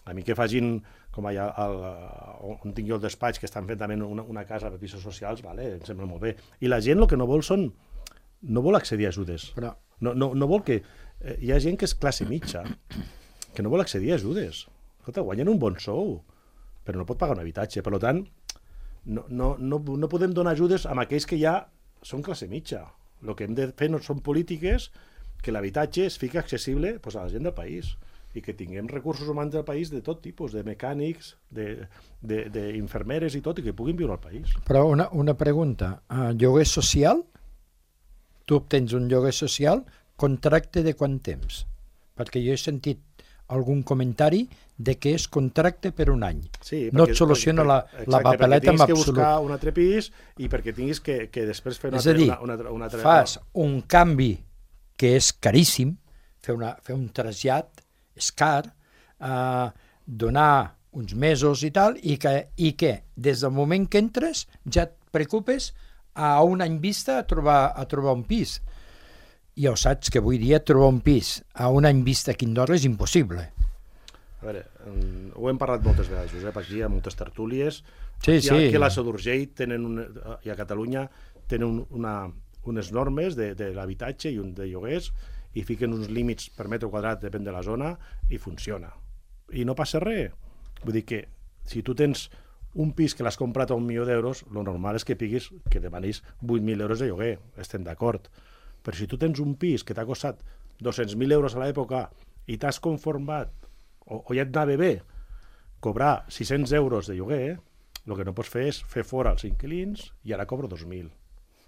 Speaker 3: A mi que facin, com allà al, on tinc jo el despatx, que estan fent també una, una casa per pisos socials, vale, em sembla molt bé. I la gent el que no vol són... no vol accedir a ajudes. Però... No, no, no vol que... Eh, hi ha gent que és classe mitja, que no vol accedir a ajudes. Escolta, guanyen un bon sou, però no pot pagar un habitatge. Per tant, no, no, no, no podem donar ajudes a aquells que ja són classe mitja. El que hem de fer no són polítiques que l'habitatge es fiqui accessible pues, a la gent del país i que tinguem recursos humans del país de tot tipus, de mecànics, d'infermeres i tot, i que puguin viure al país.
Speaker 4: Però una, una pregunta, uh, lloguer social? Tu obtens un lloguer social, contracte de quant temps? Perquè jo he sentit algun comentari de que és contracte per un any.
Speaker 3: Sí,
Speaker 4: no et soluciona la,
Speaker 3: exacte,
Speaker 4: la papeleta en absolut.
Speaker 3: Perquè tinguis que buscar un altre pis i perquè tinguis que, que després fer una,
Speaker 4: és a dir,
Speaker 3: una, una, una altra...
Speaker 4: fas un canvi que és caríssim, fer, una, fer un trasllat és car, eh, donar uns mesos i tal, i que, i que des del moment que entres ja et preocupes a un any vista a trobar, a trobar un pis. I ja ho saps que avui dia trobar un pis a un any vista aquí a Andorra és impossible.
Speaker 3: A veure, ho hem parlat moltes vegades, Josep, aquí hi ha moltes tertúlies.
Speaker 4: Sí,
Speaker 3: aquí,
Speaker 4: sí.
Speaker 3: Aquí a la Seu d'Urgell tenen una, i a Catalunya tenen una, unes normes de, de l'habitatge i un de lloguers i fiquen uns límits per metre quadrat, depèn de la zona, i funciona. I no passa res. Vull dir que si tu tens un pis que l'has comprat a un milió d'euros, el normal és que piguis, que demanis vuit mil euros de lloguer, estem d'acord. Però si tu tens un pis que t'ha costat dos-cents mil euros a l'època i t'has conformat, o, o ja et anava bé, cobrar sis-cents euros de lloguer, el que no pots fer és fer fora els inquilins i ara cobro dos mil.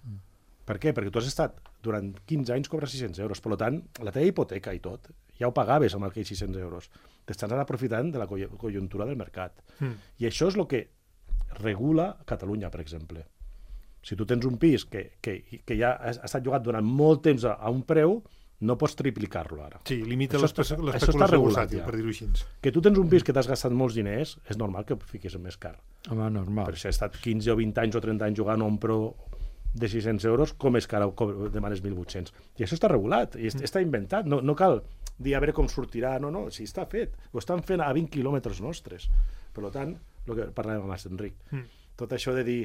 Speaker 3: Mm. Per què? Perquè tu has estat durant quinze anys cobres sis-cents euros. Per tant, la teva hipoteca i tot, ja ho pagaves amb aquells sis-cents euros. T'estàs aprofitant de la conjuntura del mercat. Mm. I això és el que regula Catalunya, per exemple. Si tu tens un pis que, que, que ja ha estat llogat durant molt temps a, a un preu, no pots triplicar-lo ara.
Speaker 2: Sí, limita l'especulació bursàtil, per dir-ho així.
Speaker 3: Que tu tens un pis que t'has gastat molts diners, és normal que ho fiquis més car.
Speaker 4: Home, normal.
Speaker 3: Per si has estat quinze o vint anys o trenta anys jugant a un preu de sis-cents euros, com és que ara demanes mil vuit-cents? I això està regulat, i mm. està inventat. No, no cal dir a veure com sortirà, no, no, si està fet. Ho estan fent a vint quilòmetres nostres. Per tant, el que parlàvem amb Enric, mm. tot això de dir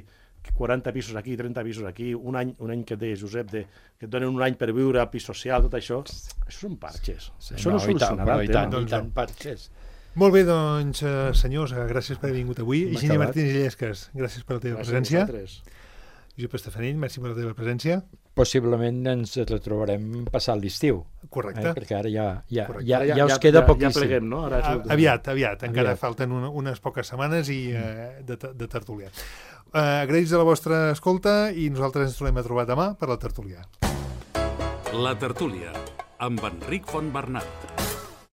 Speaker 3: quaranta pisos aquí, trenta pisos aquí, un any, un any que et deia, Josep, de, que et donen un any per viure a pis social, tot això, això són parxes. Sí, això no, no solucionarà el tema.
Speaker 4: I tant, parxes.
Speaker 2: Molt bé, doncs, senyors, gràcies per haver vingut avui. Higini Martínez Illescas, gràcies per la teva presència. Josep Estefanell, merci per la teva presència.
Speaker 4: Possiblement ens retrobarem passat l'estiu.
Speaker 2: Correcte.
Speaker 4: Eh? Perquè ara ja, ja,
Speaker 2: Correcte.
Speaker 4: ja, ja, ja us
Speaker 3: ja,
Speaker 4: queda
Speaker 3: ja,
Speaker 4: poquíssim.
Speaker 3: Ja pleguem, no? Ara
Speaker 2: és... Aviat, aviat. Encara aviat. Falten una, unes poques setmanes i eh, de, de tertúlia. Eh, agraïts a la vostra escolta i nosaltres ens tornem a trobar demà per la tertúlia.
Speaker 10: La tertúlia, amb Enric Fontbernat.